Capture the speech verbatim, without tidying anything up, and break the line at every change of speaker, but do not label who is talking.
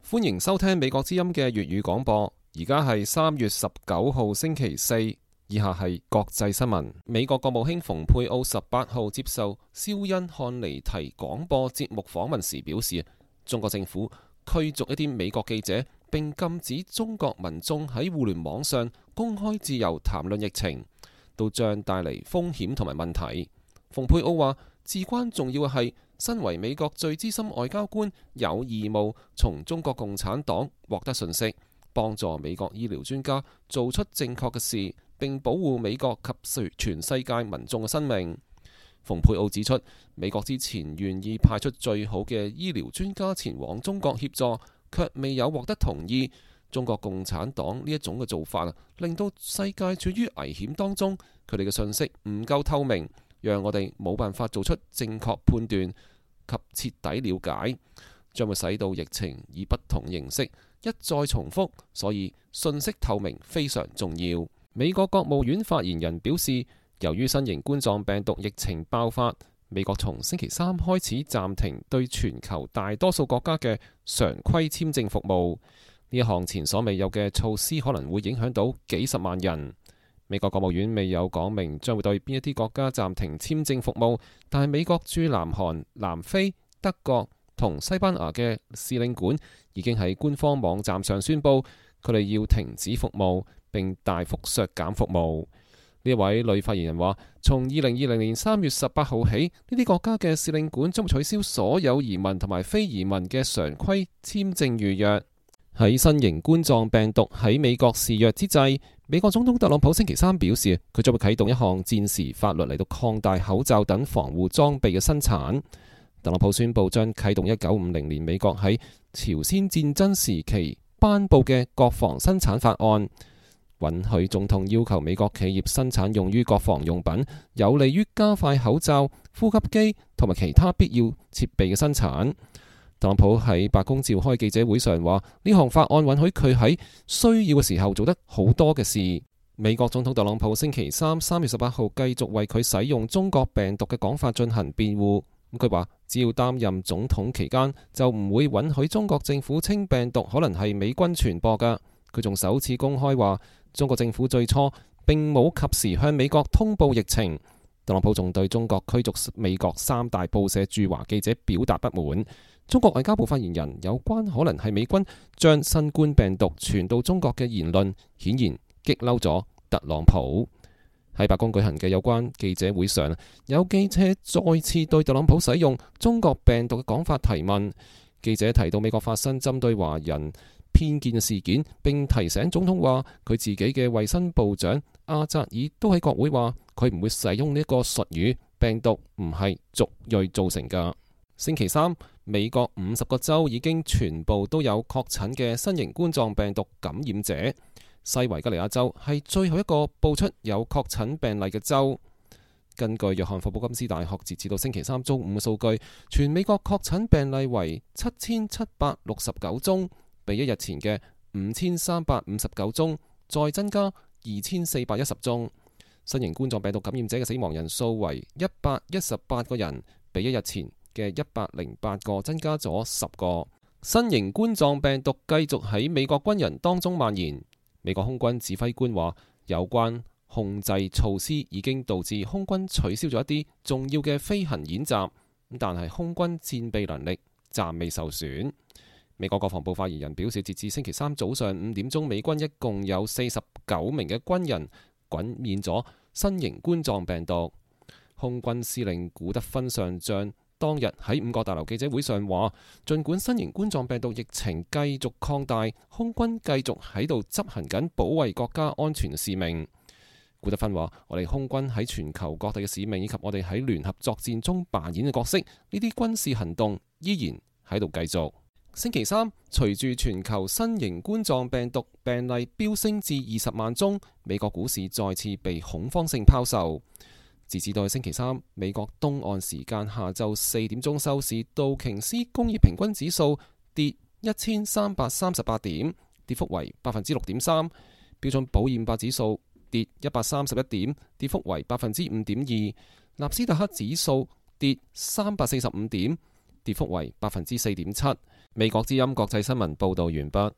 歡迎收聽美國之音嘅粵語廣播。而家係三月十九號星期四，以下係國際新聞。美國國務卿蓬佩奧十八號接受肖恩漢尼提廣播節目訪問時表示，中國政府驅逐一啲美國記者，並禁止中國民眾喺互聯網上公開自由談論疫情，都將帶嚟風險同埋問題。蓬佩奧話，至關重要嘅係，身為美國最資深外交官，有義務從中國共產黨獲得信息，幫助美國醫療專家做出正確嘅事，並保護美國及全世界民眾嘅生命。蓬佩奧指出，美國之前願意派出最好嘅醫療專家前往中國協助，卻未有獲得同意。中國共產黨呢一種嘅做法，令到世界處於危險當中。佢哋嘅信息唔夠透明，讓我哋冇辦法做出正確判斷及徹底了解，將會使到疫情以不同形式一再重複。所以信息透明非常重要。美國國務院發言人表示，由於新型冠狀病毒疫情爆發，美國從星期三開始暫停對全球大多數國家嘅常規簽證服務。呢一項前所未有嘅措施可能會影響到幾十萬人。美國國務院未有講明將會對邊一啲國家暫停簽證服務，但係美國駐南韓、南非、德國同西班牙嘅使領館已經喺官方網站上宣布，佢哋要停止服務並大幅削減服務。呢位女發言人話，從二零二零年三月十八號起，呢啲國家嘅使領館將會取消所有移民同埋非移民嘅常規簽證預約。喺新型冠狀病毒喺美國肆虐之際，美國總統特朗普星期三表示，佢將會啟動一項戰時法律嚟到擴大口罩等防護裝備嘅生產。特朗普宣布將啟動一九五零年美國喺朝鮮戰爭時期頒布嘅國防生產法案，允許總統要求美國企業生產用於國防用品，有利於加快口罩、呼吸機同埋其他必要設備嘅生產。特朗普喺白宮召開記者會上話，呢項法案允許佢喺需要嘅時候做得好多嘅事。美國總統特朗普星期三三月十八號繼續為佢使用中國病毒嘅講法進行辯護。佢話只要擔任總統期間，就唔會允許中國政府稱病毒可能係美軍傳播㗎。佢仲首次公開話，中國政府最初並冇及時向美國通報疫情。特朗普仲對中國驅逐美國三大報社駐華記者表達不滿。中國外交部發言人有關可能係美軍將新冠病毒傳到中國嘅言論，顯然激嬲咗特朗普。喺白宮舉行嘅有關記者會上，有記者再次對特朗普使用中國病毒嘅講法提問。記者提到美國發生針對華人偏見嘅事件，並提醒總統話佢自己嘅衛生部長阿扎爾都喺國會話佢唔會使用呢一個術語，病毒唔係族裔造成㗎。星期三，美國五十個州已經全部都有確診嘅新型冠狀病毒感染者。西維吉尼亞州係最後一個報出有確診病例嘅州。根據約翰霍普金斯大學截至到星期三中午嘅數據，全美國確診病例為七千七百六十九宗，比一日前嘅五千三百五十九宗再增加二千四百一十宗。新型冠狀病毒感染者嘅死亡人數為一百一十八個人，比一日前嘅一百零八個增加咗十個。新型冠狀病毒繼續喺美國軍人當中蔓延。美國空軍指揮官話，有關控制措施已經導致空軍取消咗一啲重要嘅飛行演習，但係空軍戰備能力暫未受損。美國國防部發言人表示，截至星期三早上五點鐘，美軍一共有四十九名嘅軍人感染咗新型冠狀病毒。空軍司令古德芬上將當日喺五角大樓記者會上話，儘管新型冠狀病毒疫情繼續擴大，空軍繼續喺度執行緊保衛國家安全嘅使命。古德芬話，我哋空軍喺全球各地嘅使命以及我哋喺聯合作戰中扮演嘅角色，呢啲軍事行動依然喺度繼續。星期三，隨住全球新型冠狀病毒病例飆升至二十萬宗，美國股市再次被恐慌性拋售。截至到星期三，美國東岸時間下晝四點鐘收市，道瓊斯工業平均指數跌一千三百三十八點，跌幅為百分之六點三；標準普爾五百指數跌一百三十一點，跌幅為百分之五點二；納斯達克指數跌三百四十五點，跌幅為百分之四點七。美國之音國際新聞報道完畢。